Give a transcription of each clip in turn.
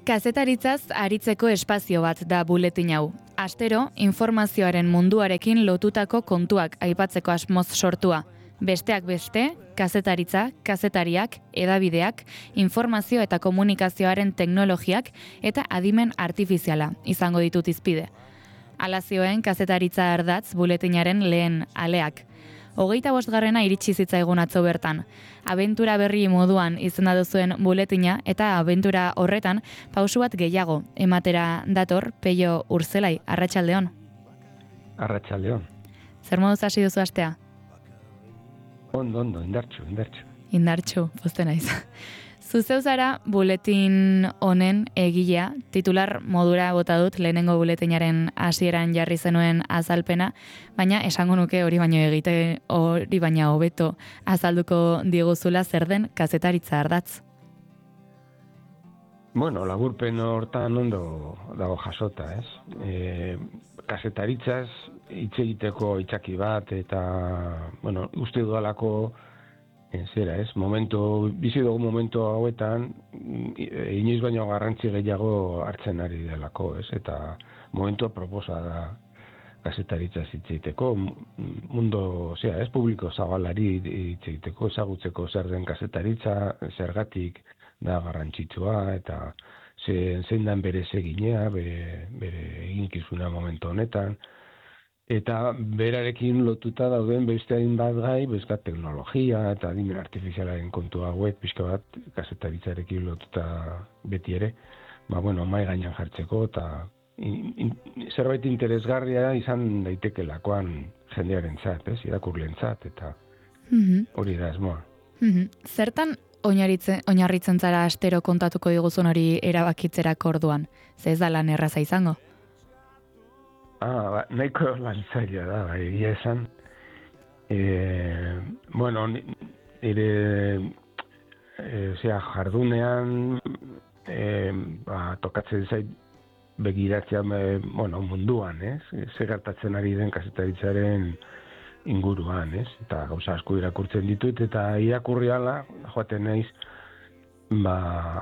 Kazetaritzaz aritzeko espazio bat da buletin hau. Astero, informazioaren munduarekin lotutako kontuak aipatzeko asmoz sortua. Besteak beste, kazetaritza, kazetariak, edabideak, informazio eta komunikazioaren teknologiak eta adimen artifiziala izango ditut izpide. Hala zioen kazetaritza ardatz buletinaren lehen aleak. 25. iritsi zitzaigun atzo bertan. Abentura berri moduan izena duzuen buletina eta abentura horretan pausu bat gehiago ematera dator Peio Urzelai. Arratsaldeon. Arratsaldeon. Zer moduz hasi duzu astea? Ondo, indartxu. Indartxu, pozten naiz. Zuzeu zara buletin honen egilea, titular modura bota dut lehenengo buletinaren hasieran jarri zenuen azalpena, baina esango nuke hori baina hobeto azalduko diguzula zer den kazetaritza ardatz. Bueno, laburpen hortan ondo dago jasota, ez? Kazetaritzaz hitz egiteko itzaki bat eta, bueno, uste dudalako bizi dugu momentu hauetan, inoiz baino garrantzi gehiago hartzen ari delako, ez? Eta momentua proposa da kazetaritza hitz egiteko, publiko zabalari hitz egiteko, ezagutzeko zer den kazetaritza, zergatik da garrantzitsua, eta zein den bere eginea, bere eginkizuna momentu honetan, eta berarekin lotuta dauden beste hainbat gai, bezkat teknologia eta adimen artifizialaren kontu hauek, pixka bat kazetaritzarekin lotuta beti ere, mai gainean jartzeko, eta zerbait interesgarria izan daitekeelakoan jendearentzat, irakurleentzat, eta hori da asmoa. Zertan oinarritzen zara astero kontatuko diguzun hori erabakitzerako orduan? Ze ez da lan erraza izango? Nahiko lan zaila da, egia esan. Jardunean tokatzen zait begiratzea munduan, ez? Zer gertatzen ari den kazetaritzaren inguruan, ez? Eta gauza asko irakurtzen ditut, eta irakurri ala, joaten naiz,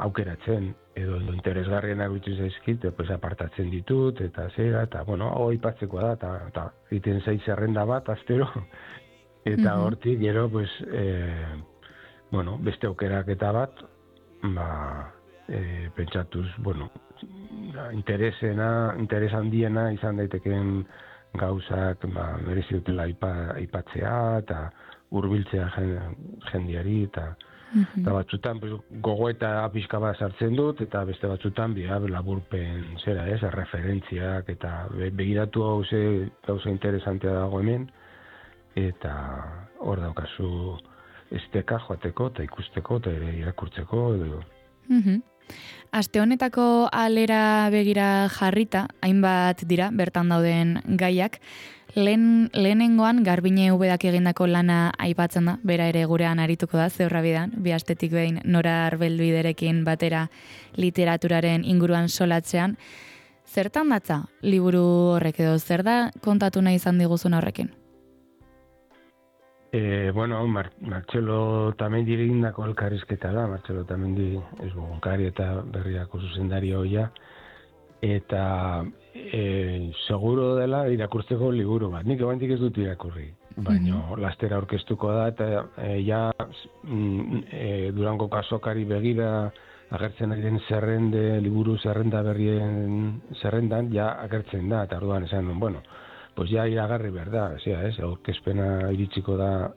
aukeratzen, edo interesgarrienak bitu zaizkit, apartatzen ditut, eta zera, eta, hau aipatzekoa da, eta egiten zaiz zerrenda bat, astero, eta hortik, gero, beste aukerak eta bat, pentsatuz, interes handiena izan daitekeen gauzak, merezi dutela aipatzea, eta hurbiltzea jendiari, eta batzutan gogoeta pixka bat sartzen dut, eta beste batzutan laburpen referentziak, eta begiratu hau gauza interesantea dago hemen, eta hor daukazu esteka joateko, eta ikusteko, eta ere irakurtzeko, edo. Aste honetako alera begira jarrita, hainbat dira, bertan dauden gaiak, lehenengoan Garbine Ubedak egindako lana aipatzen da, bera ere gurean arituko da, zeurra bidan, bi astetik behin Nora Arbelbiderekin batera literaturaren inguruan solatzean. Zertan datza liburu horrek edo, zer da kontatu nahi izan diguzun horrekin? Martxelo Tamendi egindako elkarrizketa da, Martxelo Tamendi egunkari eta berriako zuzendari hoia, eta seguro dela irakurtzeko liburu bat. Nik ebantik ez dut irakurri, baina lastera aurkeztuko da, eta Durango kasokari begira agertzen ari den liburu zerrenda berrien zerrendan, agertzen da, eta orduan esan nuen, iragarri behar da, aurkezpena iritsiko da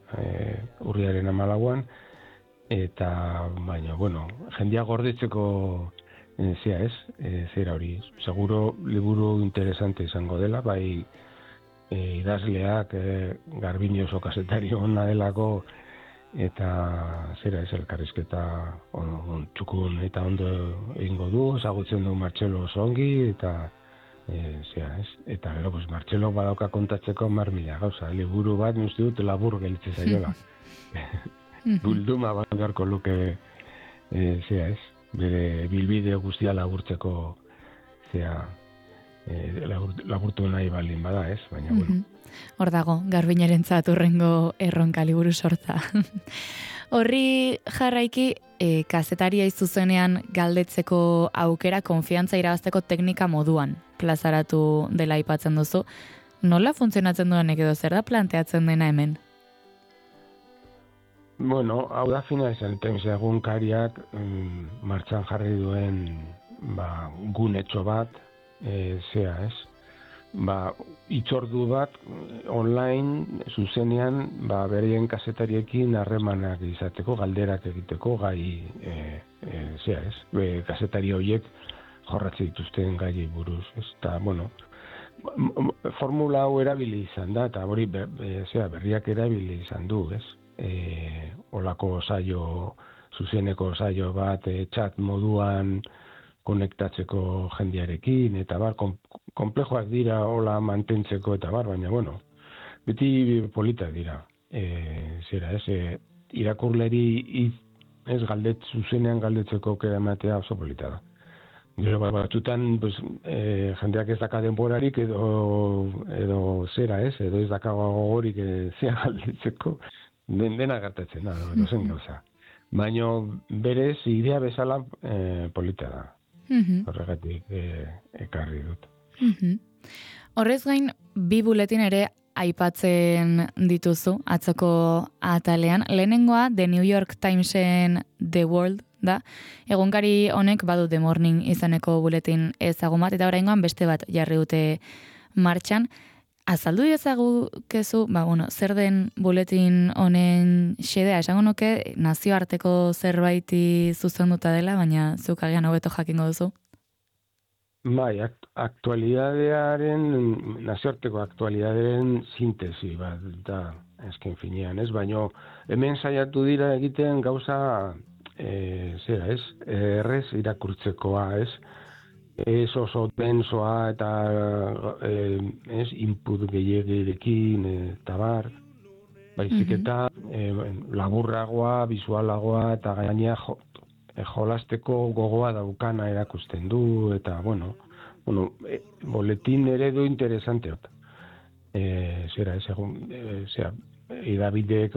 urriaren 14an, eta, jendia gordetzeko zera hori, seguro liburu interesante izango dela, bai idazleak Garbine oso kazetari ona delako, eta elkarrizketa txukun eta ondo egingo du, ezagutzen du Martxelo oso ongi, eta eta gero, Martxelo badauka kontatzeko 1000 gauza, liburu bat uste dut labur gelitze zaiola. Bilduma bat beharko luke, bere bilbide guztia laburtzeko, laburtu nahi baldin bada, ez? Baina, Hor dago, Garbiñerentzat hurrengo erronka liburu sortza. Horri jarraiki, kazetaria zuzenean galdetzeko aukera konfiantza irabazteko teknika moduan plazaratu dela aipatzen duzu. Nola funtzionatzen duenek edo zer da planteatzen dena hemen? Bueno, hau da fina esan, egunkariak martxan jarri duen gunetxo bat, zea ez, itzordu bat online, zuzenean, berien kazetariekin harremanak izateko, galderak egiteko, gai, zea ez, kazetari horiek jorratze dituzten gai buruz, ez, eta, bueno, formula hau erabili izan da, eta hori berriak erabili izan du, ez, olako zuzeneko saio bat, chat moduan konektatzeko jendearekin, eta konplejoak dira hola mantentzeko, eta baina, bueno, beti politak dira. Zera, ez, irakurleri zuzenean galdetzeko aukera ematea oso polita da. Gero batzutan, jendeak ez daka denborarik edo zera, ez, edo ez daka gogorik zera galdetzeko, dena gertatzen da, zen gauza. Baina berez, idea bezala polita da. Horregatik ekarri dut. Horrez gain, 2 buletin ere aipatzen dituzu atzoko atalean. Lehenengoa, The New York Timesen The World da. Egunkari honek badu The Morning izaneko buletin ezagun bat, eta oraingoan beste bat jarri dute martxan. Azaldu ezagukezu, zer den buletin honen xedea, esango nuke nazioarteko zerbaiti zuzenduta dela, baina zuk agian hobeto jakingo duzu. Bai, nazioarteko aktualidaderen sintesi bat, da, esken finean, ez? Baina hemen saiatu dira egiten gauza, zera, ez? Errez irakurtzekoa, ez? Ez oso densoa eta input gehiagirekin eta baizik eta laburragoa, visualagoa eta gainea jolasteko gogoa daukana erakusten du eta boletin eredu interesanteot. Zera, idabideek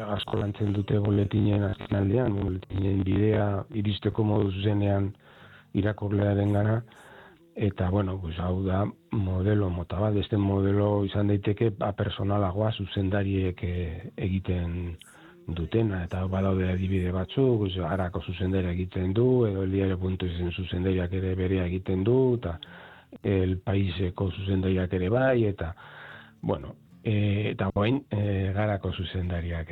asko lantzen dute boletinen azkenaldean, boletinen bidea iristeko modu zuzenean irakurlearen gana, eta, hau da modelo mota bat, beste modelo izan daiteke personalagoa zuzendariek egiten dutena, eta badaude adibide batzuk, Arako zuzendaria egiten du, edo Eliare.isen zuzendariak ere berea egiten du, eta El Paiseko zuzendariak ere bai, eta, eta guain Garako zuzendariak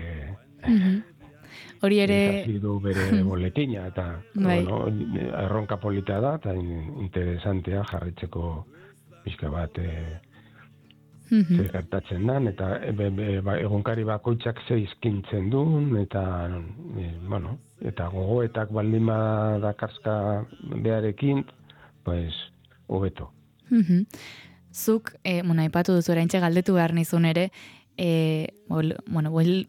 hori ere du bere boletina, eta erronka polita da, eta interesantea jarritzeko pixka bat zer gertatzen den, eta egunkari bakoitzak ze izkintzen duen, eta eta gogoetak baldin badakarska beharekin, hobeto. Zuk, aipatu duzu eraintxe galdetu behar nizun ere,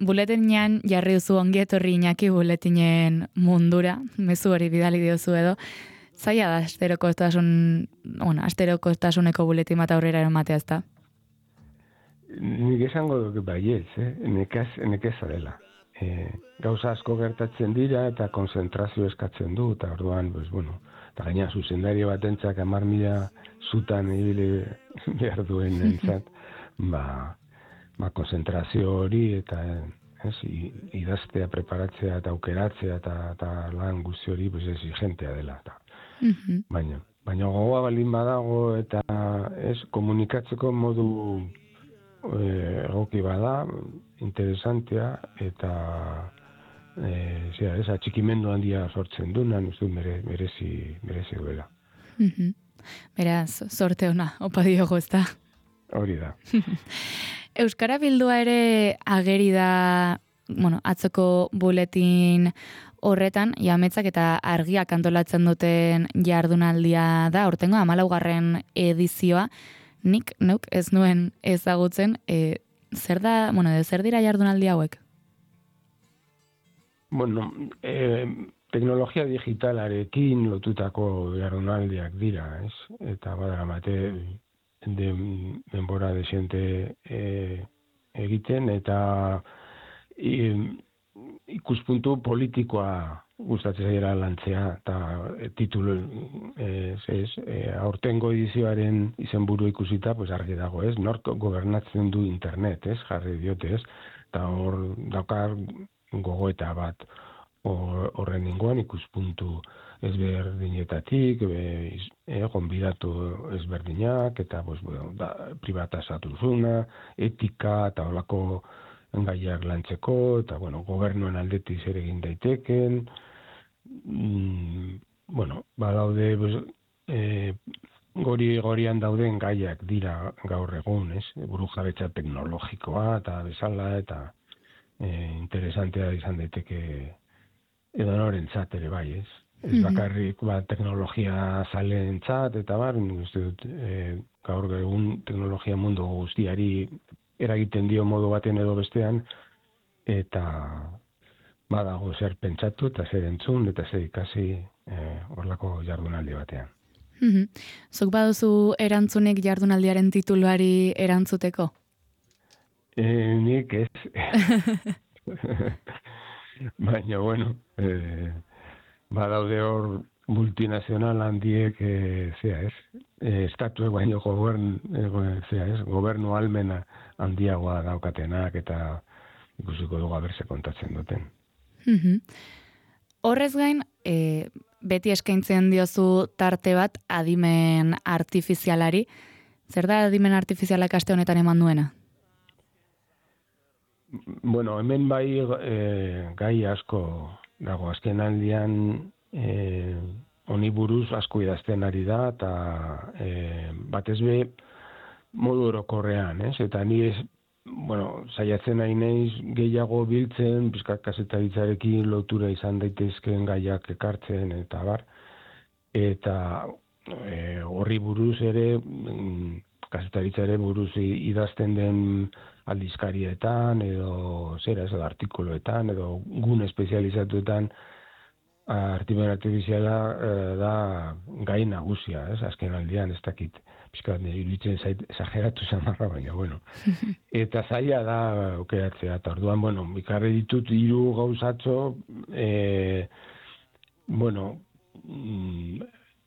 buletinean jarri duzu ongi etorri Iñaki buletinen mundura, mezu hori bidali diozu edo, zaila da asterokotasuneko buletin bat aurrera eramatea, ezta? Nik esango duke baietz, nekeza dela. Gauza asko gertatzen dira eta konzentrazio eskatzen du, eta orduan, eta gaina zuzendario batentzak 10.000 zutan ibili behar duen entzat, konzentrazio hori eta idaztea, preparatzea eta aukeratzea eta lan guzti hori exigentea dela. Baina gogoa baldin badago eta komunikatzeko modu egoki bada, interesantea eta atxikimendu handia sortzen du, merezi duela. Beraz, sorte ona, opa diogo, ezta? Hori da. Euskara Bildua ere ageri da, atzoko buletin horretan, jametzak eta argiak antolatzen duten jardunaldia da, aurtengo 14. edizioa, nik neuk ez nuen ezagutzen, zer da, zer dira jardunaldi hauek? Teknologia digitalarekin lotutako jardunaldiak dira, ez? Eta badaramate denbora desente egiten, eta ikuspuntu politikoa gustatzen zaira lantzea, eta titulu aurtengo edizioaren izenburu ikusita, pues argi dago, ez? Nork gobernatzen du internet, ez? Jarri diote, ez? Eta hor daukar gogoeta bat horren inguan ikuspuntu ezberdinetatik, gonbidatu ezberdinak, eta pues, privatizatuzuna, etika, eta holako gaiak lantzeko, eta gobernuen aldetik zer egin daiteken, badaude, gorian dauden gaiak dira gaur egun, ez? Burujabetza teknologikoa, eta bezala, eta interesantea izan daiteke edo norentzat ere bai, ez? Ez bakarrik teknologia zalentzat, eta uste dut, gaur egun teknologia mundu guztiari eragiten dio modu baten edo bestean, eta badago zer pentsatu, eta zer entzun, eta zer ikasi horlako jardunaldi batean. Zuk baduzu erantzunik jardunaldiaren tituluari erantzuteko? Nik ez. Baina, badaude hor multinazional handiek, estatuek baino gobernu almena handiagoa daukatenak, eta ikusiko dugu aberse kontatzen duten. Horrez gain, beti eskaintzen diozu tarte bat adimen artifizialari. Zer da adimen artifizialak aste honetan eman duena? Hemen bai gai asko dago, azken aldian honi buruz asko idazten ari da, eta batez be modu orokorrean, ez? Eta ni saiatzen nahi naiz gehiago biltzen, pizkat kazetaritzarekin lotura izan daitezkeen gaiak ekartzen, eta bar. Eta horri buruz ere, kazetaritzare buruz idazten den aldizkarietan, edo artikuluetan, edo gune espezializatuetan, adimen artifiziala da gai nagusia, ez? Azken aldian, ez dakit, pizkat iruditzen zait exageratu zamarra, baina, Eta zaila da aukeratzea, eta orduan, ikarri ditut 3 gauzatxo,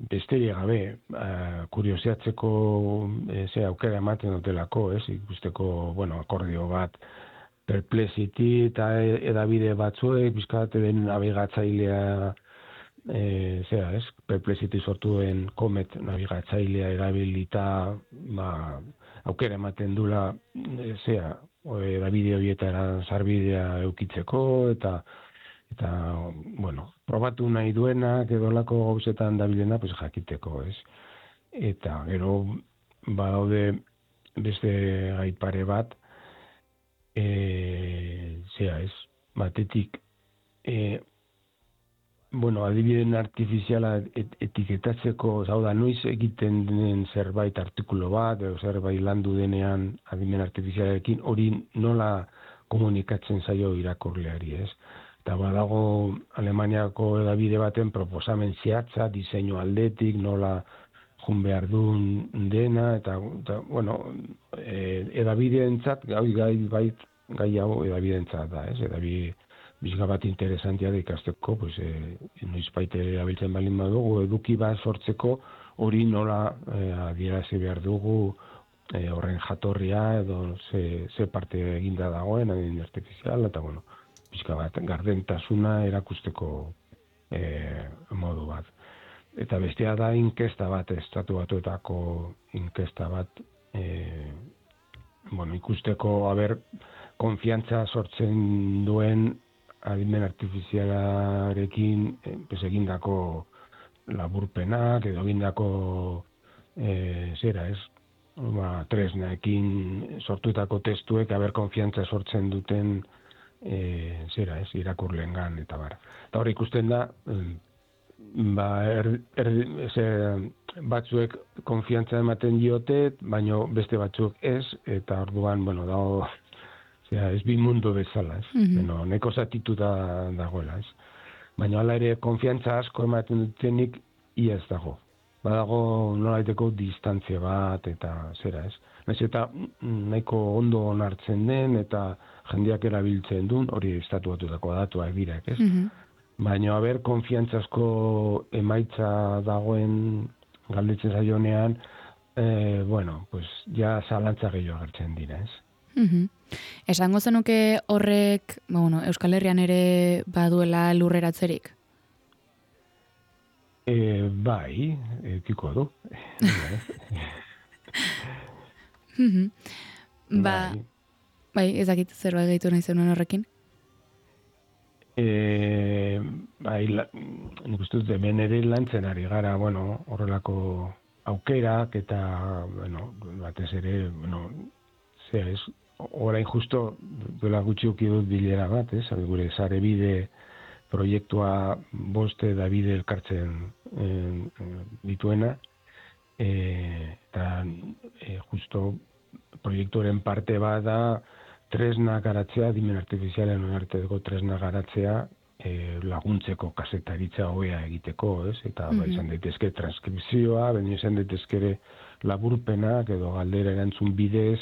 besterik gabe, kuriosiatzeko aukera ematen dutelako, ez? Ikusteko, akordio bat, Perplexity eta edabide batzuek, bizkat den nabigatzailea, Perplexity sortuen Comet nabigatzailea erabilita, aukera ematen dula, edabide horietara sarbidea eukitzeko, eta probatu nahi duenak edolako gauzetan dabilena, jakiteko, ez? Eta gero, badaude beste gai pare bat, batetik, adibideen artifiziala etiketatzeko, noiz egiten den zerbait artikulu bat, edo zerbait landu denean adimen artifizialarekin, hori nola komunikatzen zaio irakurleari, ez? Eta badago Alemaniako edabide baten proposamen zehatza, diseinu aldetik, nola jun behar duen dena, eta edabideentzat, gai hau edabideentzat da, ez? Edabide bizka bat interesantia da ikasteko, noizbait erabiltzen balin badugu, eduki bat sortzeko, hori nola adierazi behar dugu horren jatorria, edo ze parte eginda dagoen, adimen artifiziala, eta bizka bat gardentasuna erakusteko modu bat. Eta bestea da inkesta bat, Estatu Batuetako inkesta bat, ikusteko konfiantza sortzen duen adimen artifizialarekin egindako laburpenak, edo egindako tresnaekin sortutako testuek konfiantza sortzen duten irakurlengan, eta bar. Eta hor ikusten da, batzuek konfiantza ematen diote, baina beste batzuk ez, eta orduan, dago, ez bi mundu bezala, ez? Neko zatituta dagoela, ez? Baina hala ere, konfiantza asko ematen dutenik, ia ez dago. badago nolaiteko distantzia bat, eta zera, ez? Naiz eta nahiko ondo onartzen den, eta jendeak erabiltzen duen, hori estatuatutako datuak dira, ez? Baina, konfiantzazko emaitza dagoen galdetzen zaionean, bueno, pues, ja zalantza gehiago agertzen dira, ez? Esango zenuke horrek, bueno, Euskal Herrian ere baduela lurreratzerik? Bai, edukiko du. Bai, ezakit zerbait gehitu nahi zenuen horrekin? Bai, nik uste dut hemen ere lantzen ari gara, bueno, horrelako aukerak eta, bueno, batez ere, bueno, ez, orain justo duela gutxi uki dut bilera bat, ez, gure sare bide proiektua boste da bide elkartzen dituena, eta justo proiektuaren parte bat da tresna garatzea, dimen artifizialen arteko tresna garatzea, laguntzeko kasetaritza hobea egiteko, ez? Eta izan daitezke transkripzioa, baina izan daitezke laburpenak edo galdera erantzun bidez,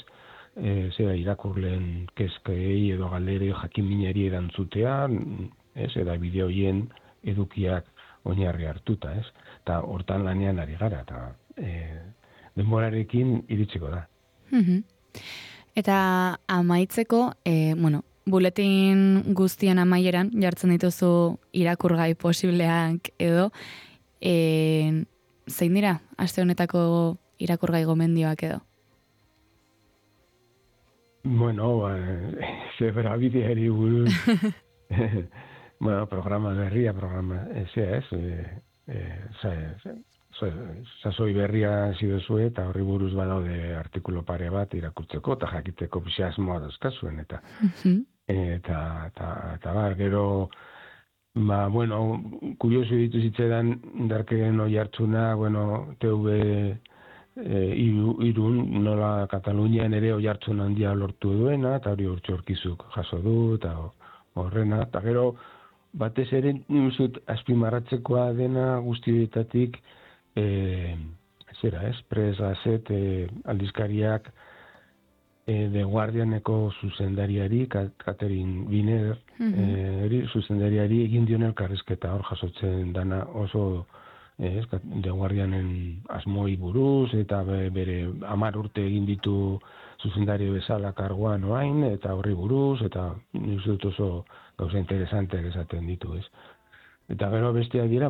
zera irakurleen kezkei edo galderei jakinminari erantzutea, ez? Eta bideo hoien edukiak oinarri hartuta, ez? Eta hortan lanean ari gara, eta denborarekin iritsiko da. Eta amaitzeko, bueno, buletin guztien amaieran jartzen dituzu irakurgai posibleak edo, zein dira aste honetako irakurgai gomendioak edo? Bueno, zebra bideari buruz, bueno, programa berria, sasoi berria zidozue, eta horri buruz badaude artikulo pare bat irakurtzeko, eta jakiteko pixasmoa dauzkazuen, eta gero, bueno, kurioso ditu zitzaidan darkeren oi hartzuna, bueno, TV irun, nola Katalunian ere oi hartzun handia lortu duena, eta hori urtxorkizuk jaso du, eta horrena, eta gero, batez ere, nuzut, azpimarratzekoa dena guztietatik, Press Gazette aldizkariak The Guardianeko zuzendariari, Catherine Wiener, zuzendariari egin dion elkarrizketa hor jasotzen dana oso The Guardianen asmoi buruz, eta bere 10 urte egin ditu zuzendari bezala karguan oain, eta horri buruz, eta nik dut oso gauza interesanteak esaten ditu, ez? Eta gero besteak dira,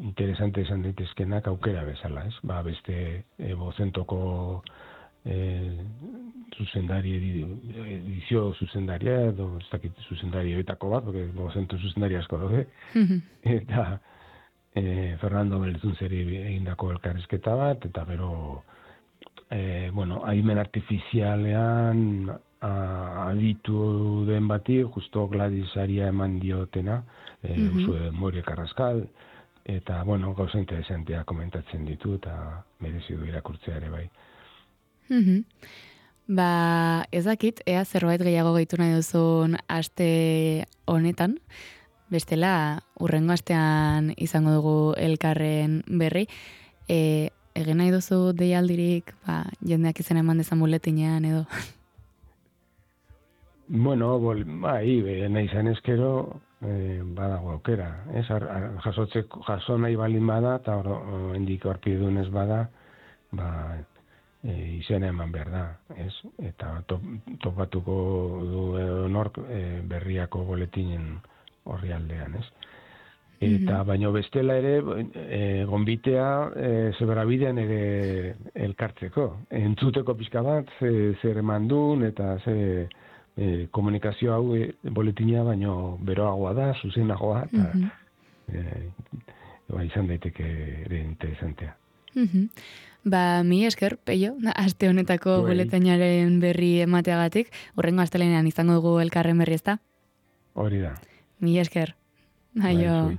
interesante esan daitezkenak aukera bezala, ez? Beste bozentoko zuzendari, edizio zuzendaria, edo ez dakit zuzendari horietako bat, porque bozento zuzendari asko daude, eta Fernando Belzunzeri egindako elkarrizketa bat, eta gero, adimen artifizialean aditu den bati, justo Gladys Aria eman diotena, Usue Moire Carrascal, eta, gauza interesantea komentatzen ditu, eta merezi du irakurtzea ere bai. Ez dakit, ea zerbait gehiago gehitu nahi duzun aste honetan, bestela, urrengo astean izango dugu elkarren berri, egin nahi duzu deialdirik, jendeak izan eman dezan buletinean edo? Bueno, nahi izan eskero, badago aukera, ez? Jaso nahi balin bada, eta hendik aurkidunez bada, izena eman behar da, ez? Eta topatuko du nork berriako boletinen horri aldean, ez? Eta baino bestela ere, gonbitea zeberabidean ere elkartzeko. Entzuteko pixka bat, zer eman duen, eta komunikazio hau boletina baino beroagoa da, zuzenagoa, eta izan daiteke ere interesantea. Mi esker, Peio, aste honetako boletinaren berri emateagatik, urrengo astelenean izango dugu elkarren berri, ezta? Hori da. Mi esker. Aio.